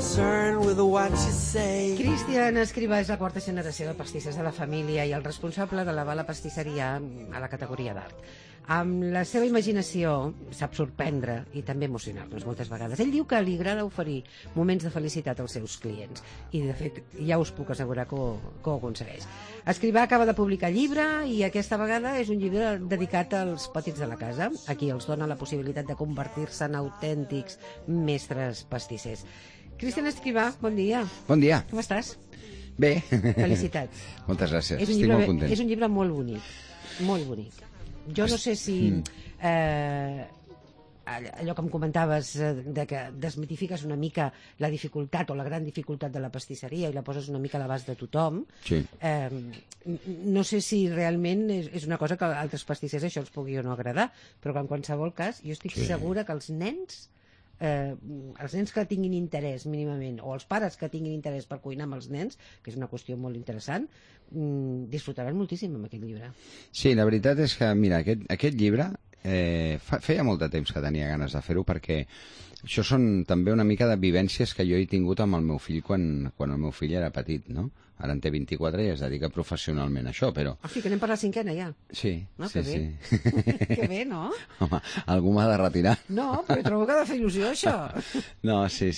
concerned with what you say. Cristian Escrivà és la quarta generació de pastissers de la família i el responsable d'elevar la pastisseria a la categoria d'art. Amb la seva imaginació sap sorprendre i també emocionar-nos moltes vegades. Ell diu que li agrada oferir moments de felicitat als seus clients i, de fet, ja us puc assegurar que ho aconsegueix. Escrivà acaba de publicar llibre i aquesta vegada és un llibre dedicat als petits de la casa, a qui els dona la possibilitat de convertir-se en autèntics mestres pastissers. Cristian Escrivà, bon dia. Bon dia. Com estàs? Bé. Felicitats. Moltes gràcies, estic molt content. És un llibre molt bonic, molt bonic. Jo no sé si allò que em comentaves de que desmitifiques una mica la dificultat o la gran dificultat de la pastisseria i la poses una mica a l'abast de tothom. Sí. No sé si realment és una cosa que a altres pastissers això els pugui o no agradar, però que en qualsevol cas jo estic segura que els nens que tinguin interès mínimament, o els pares que tinguin interès per cuinar amb els nens, que és una qüestió molt interessant, disfrutaran moltíssim amb aquest llibre. Sí, la veritat és que, mira, aquest llibre feia molt de temps que tenia ganes de fer-ho, perquè això són també una mica de vivències que jo he tingut amb el meu fill quan el meu fill era petit, no? Ara en té 24 i es dedica professionalment a això, però... Ah, sí, que anem per la cinquena ja. Sí, no, sí, sí. Que bé, no? Home, algú m'ha de retirar. No, però trobo que ha de fer il·lusió, això. No, sí.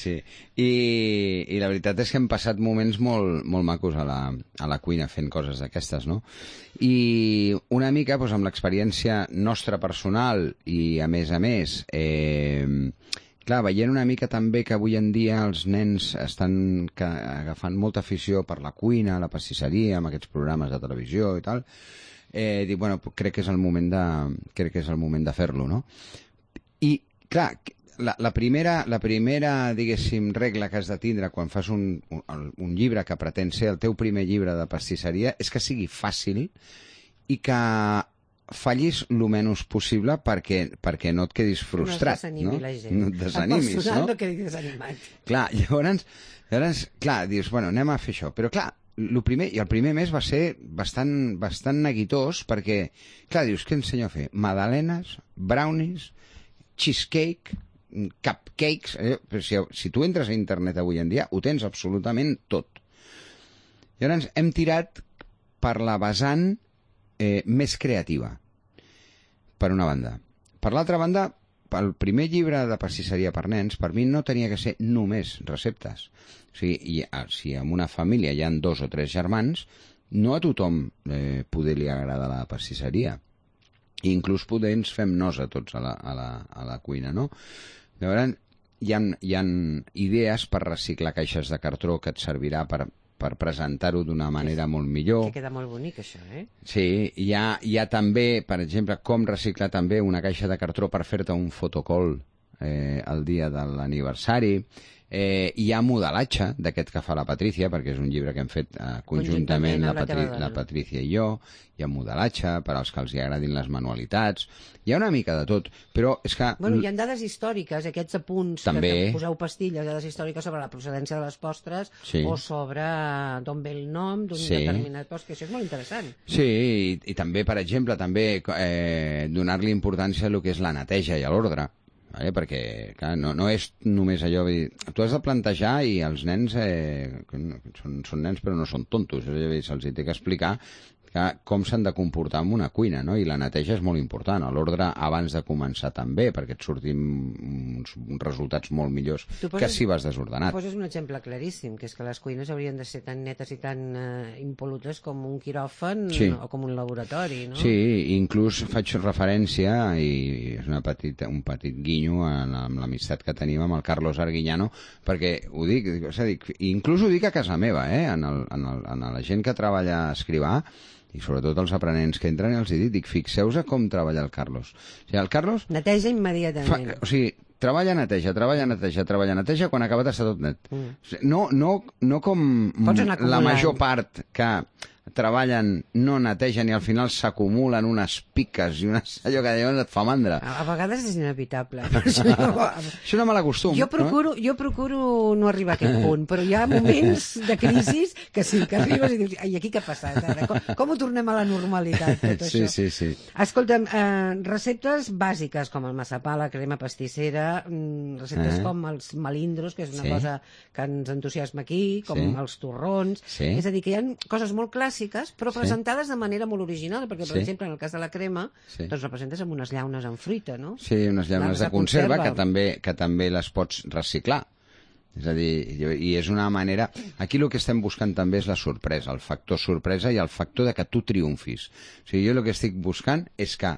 I la veritat és que hem passat moments molt macos a la cuina fent coses d'aquestes, no? I una mica, doncs, amb l'experiència nostra personal i, a més, clar, veient una mica també que avui en dia els nens estan agafant molta afició per la cuina, la pastisseria, amb aquests programes de televisió i tal, dic, bueno, crec que és el moment de fer-lo, no? I, clar, la primera, diguéssim, regla que has de tindre quan fas un llibre que pretén ser el teu primer llibre de pastisseria és que sigui fàcil i que fallis el menys possible perquè no et quedis frustrat. No et desanimi la gent. No et desanimis, el personal no quedi desanimat. Clar, llavors, clar, dius, bueno, anem a fer això. Però, clar, el primer mes va ser bastant neguitós perquè, clar, dius, què ensenyo a fer? Magdalenes, brownies, cheesecake, cupcakes... Però si tu entres a internet avui en dia, ho tens absolutament tot. Llavors, hem tirat per la vessant més creativa, per una banda. Per l'altra banda, el primer llibre de pastisseria per nens, per mi no tenia que ser només receptes. O sigui, si en una família hi ha 2 o 3 germans, no a tothom poder li agrada la pastisseria. I inclús poder ens fem nosa tots a la cuina, no? Llavors, hi ha idees per reciclar caixes de cartró que et servirà per presentar-ho d'una manera molt millor. Que queda molt bonic, això, eh? Sí, hi ha també, per exemple, com reciclar també una caixa de cartró per fer-te un fotocall el dia de l'aniversari. Hi ha modelatge d'aquest que fa la Patrícia, perquè és un llibre que hem fet conjuntament la Patrícia i jo. Hi ha modelatge per als que els agradin les manualitats. Hi ha una mica de tot, però és que... Bueno, hi ha dades històriques, aquests apunts també que poseu pastilles, dades històriques sobre la procedència de les postres o sobre d'on ve el nom d'un determinat postre, que això és molt interessant. Sí, i també, per exemple, donar-li importància a lo que és la neteja i a l'ordre. Perquè clar, no és només allò, tu has de plantejar i els nens són nens però no són tontos, se'ls té que explicar com s'han de comportar en una cuina, no? I la neteja és molt important, l'ordre abans de començar també, perquè et surtin uns resultats molt millors que si vas desordenat. Poses un exemple claríssim, que és que les cuines haurien de ser tan netes i tan impol·lutes com un quiròfan o com un laboratori, no? Sí, inclús faig referència, i és un petit guinyo amb l'amistat que tenim amb el Carlos Arguiñano, perquè ho dic, inclús ho dic a casa meva, en la gent que treballa a Escrivà, i sobretot els aprenents que entren, els dic, fixeu-vos a com treballa el Carlos. O sigui, el Carlos... Neteja immediatament. O sigui, treballa, neteja, quan ha acabat està tot net. No com la major part que treballen, no netegen i al final s'acumulen unes piques i allò que llavors et fa mandra. A vegades és inevitable. Això no me l'acostum. Jo procuro no arribar a aquest punt, però hi ha moments de crisi que sí, que arribes i dius, ai, aquí què ha passat ara? Com ho tornem a la normalitat, tot això? Sí. Escolta'm, receptes bàsiques com el massapà, la crema pastissera, receptes com els melindros, que és una cosa que ens entusiasma aquí, com els torrons. És a dir, que hi ha coses molt clàssiques, però presentades de manera molt original, perquè, per exemple, en el cas de la crema, doncs representes amb unes llaunes en fruita, no? Sí, unes llaunes de conserva que també les pots reciclar. És a dir, i és una manera... Aquí el que estem buscant també és la sorpresa, el factor sorpresa i el factor de que tu triomfis. O sigui, jo el que estic buscant és que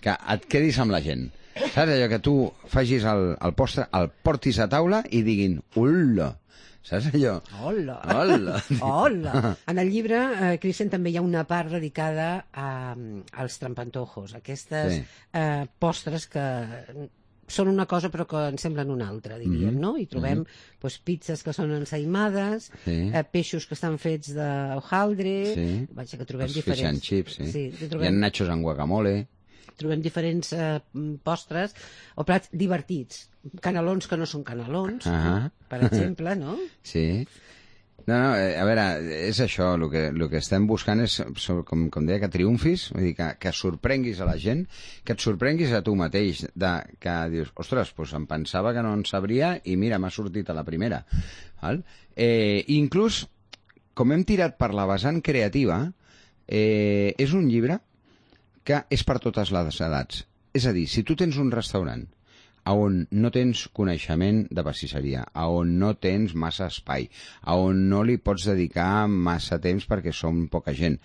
et quedis amb la gent. Saps allò que tu facis el postre, el portis a taula i diguin, ula, saps allò? Hola! Hola! Hola! En el llibre, Cristian, també hi ha una part dedicada als trampantojos, aquestes postres que són una cosa però que en semblen una altra, diríem, no? I trobem pizzas que són ensaïmades, peixos que estan fets de hojaldre, vaja, que trobem diferents... Fish and chips, sí. Hi ha nachos amb guacamole. Trobem diferents postres o plats divertits. Canelons que no són canelons, per exemple, no? Sí. No, a veure, és això, el que estem buscant és, com deia, que triomfis, vull dir, que sorprenguis a la gent, que et sorprenguis a tu mateix, que dius, ostres, doncs em pensava que no en sabria i mira, m'ha sortit a la primera. Val? Inclús, com hem tirat per la vessant creativa, és un llibre que és per totes les edats. És a dir, si tu tens un restaurant on no tens coneixement de pastisseria, on no tens massa espai, on no li pots dedicar massa temps perquè som poca gent,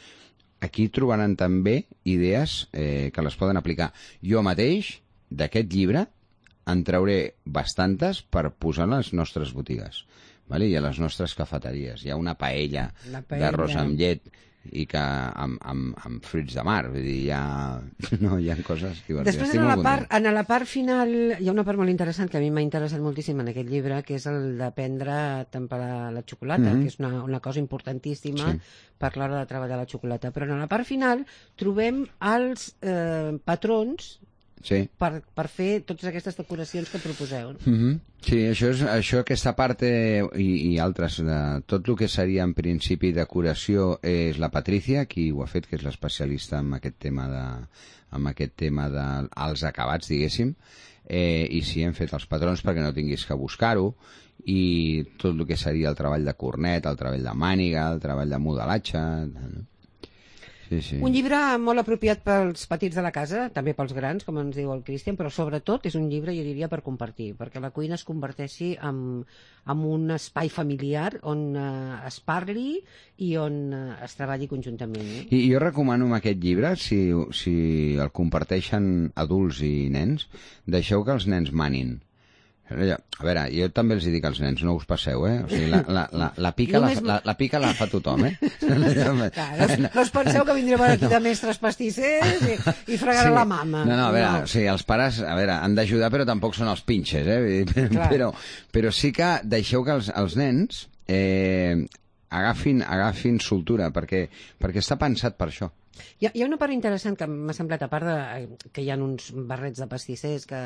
aquí trobaran també idees que les poden aplicar. Jo mateix, d'aquest llibre, en trauré bastantes per posar a les nostres botigues, vale? I a les nostres cafeteries. Hi ha una paella d'arròs amb llet i que amb fruits de mar, vull dir, hi ha coses divertides. Després, en la part final, hi ha una part molt interessant que a mi m'ha interessat moltíssim en aquest llibre, que és el d'aprendre a temperar la xocolata, que és una cosa importantíssima per l'hora de treballar la xocolata. Però en la part final trobem els patrons per fer totes aquestes decoracions que proposeu. Sí, aquesta part i altres, tot el que seria en principi decoració és la Patricia, qui ho ha fet, que és l'especialista en aquest tema dels acabats, diguéssim, i sí, hem fet els patrons perquè no tinguis que buscar-ho, i tot el que seria el treball de cornet, el treball de màniga, el treball de modelatge... Sí. Un llibre molt apropiat pels petits de la casa, també pels grans, com ens diu el Cristian, però sobretot és un llibre, jo diria, per compartir, perquè la cuina es converteixi en un espai familiar on es parli i on es treballi conjuntament. I jo recomano amb aquest llibre, si el comparteixen adults i nens, deixeu que els nens manin. A veure, jo també els dic als nens, no us passeu, O sigui, la pica la fa tothom, No us penseu que vindrem aquí de mestres pastissers i fregarà la mama. No, a veure, o sigui, els pares, han d'ajudar, però tampoc són els pinxes, Però sí que deixeu que els nens agafin soltura, perquè està pensat per això. Hi ha una part interessant que m'ha semblat, a part que hi ha uns barrets de pastissers que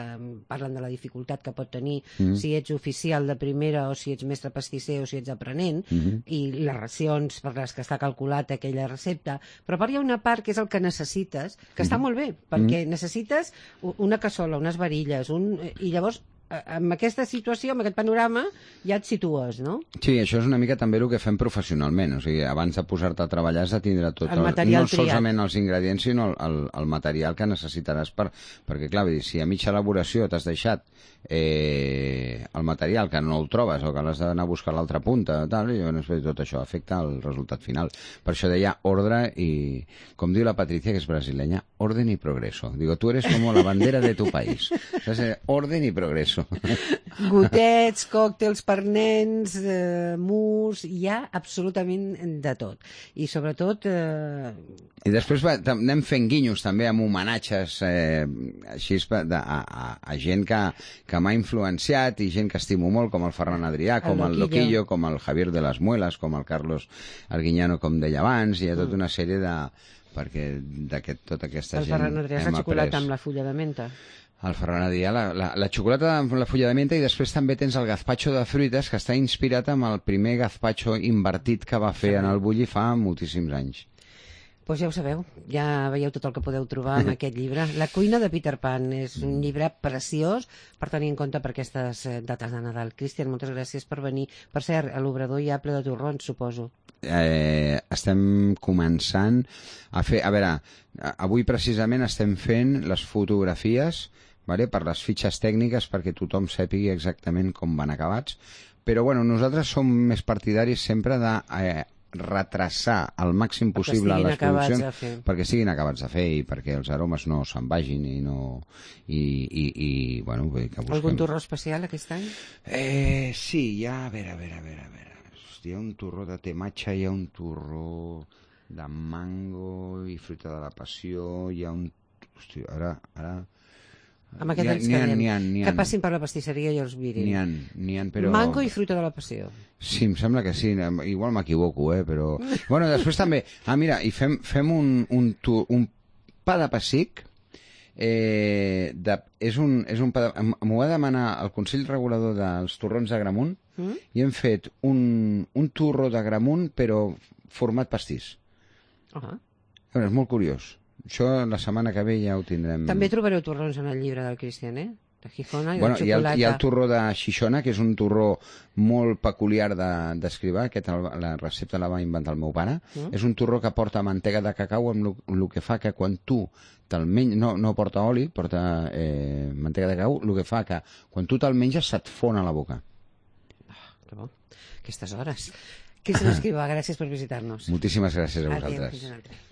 parlen de la dificultat que pot tenir si ets oficial de primera o si ets mestre pastisser o si ets aprenent, i les racions per les que està calculat aquella recepta, però a part hi ha una part que és el que necessites, que està molt bé, perquè necessites una cassola, unes varilles, i llavors amb aquesta situació, amb aquest panorama, ja et situes, no? Sí, això és una mica també el que fem professionalment. O sigui, abans de posar-te a treballar has de tindre tot el material no solament els ingredients, sinó el material que necessitaràs perquè, clar, si a mitja elaboració t'has deixat el material que no el trobes o que l'has d'anar a buscar a l'altra punta, tot això afecta el resultat final. Per això deia ordre i, com diu la Patricia, que és brasileña, orden y progreso. Digo, tú eres como la bandera de tu país. O sea, orden y progreso. eso. Gotets, còctels per nens, mousse, hi ha absolutament de tot. I sobretot... I després anem fent guinyos també amb homenatges així a gent que m'ha influenciat i gent que estimo molt, com el Ferran Adrià, com el Loquillo, com el Javier de las Muelas, com el Carlos Arguiñano, com deia abans. Hi ha tota una sèrie de... perquè tota aquesta gent... El Ferran Adrià és la xocolata amb la fulla de menta. El Ferran Adrià, la xocolata amb la fulla de menta, i després també tens el gazpacho de fruites, que està inspirat amb el primer gazpacho invertit que va fer en el Bulli fa moltíssims anys. Doncs ja ho sabeu, ja veieu tot el que podeu trobar en aquest llibre. La cuina de Peter Pan és un llibre preciós per tenir en compte per aquestes dates de Nadal. Cristian, moltes gràcies per venir. Per cert, a l'obrador hi ha ple de torrons, suposo. Estem començant a fer... A veure, avui precisament estem fent les fotografies, vale, per les fitxes tècniques perquè tothom sàpigui exactament com van acabats, però bueno, nosaltres som més partidaris sempre de retrasar al màxim possible les produccions perquè siguin acabats de fer i perquè els aromes no se'n vagin i no... bueno, que busquem... Algun torró especial aquest any? Sí, hi ha... A veure... Hi ha un torró de tematxa, hi ha un torró de mango i fruita de la passió, hi ha un... Hosti, ara... Amb aquest ens quedem. Que passin per la pastisseria i els mirin. N'hi ha, però... Mango i fruita de la passió. Sí, em sembla que sí. Igual m'equivoco, però... Bueno, després també... Mira, i fem un pa de pessic. És un pa de... M'ho va demanar el Consell Regulador dels Torrons d'Agramunt i hem fet un torró d'Agramunt, però format pastís. És molt curiós. Això la setmana que ve ja ho tindrem. També trobareu torrons en el llibre del Cristian, de Gijona i de xocolata. Hi ha el torró de Xixona, que és un torró molt peculiar d'escrivar. La recepta la va inventar el meu pare. És un torró que porta mantega de cacau, amb el que fa que quan tu te'l menges... No porta oli, porta mantega de cacau, el que fa que quan tu te'l menges se't fon a la boca. Que bo. Aquestes hores. Cristian Escrivà, gràcies per visitar-nos. Moltíssimes gràcies a vosaltres. Adéu, fins una altra.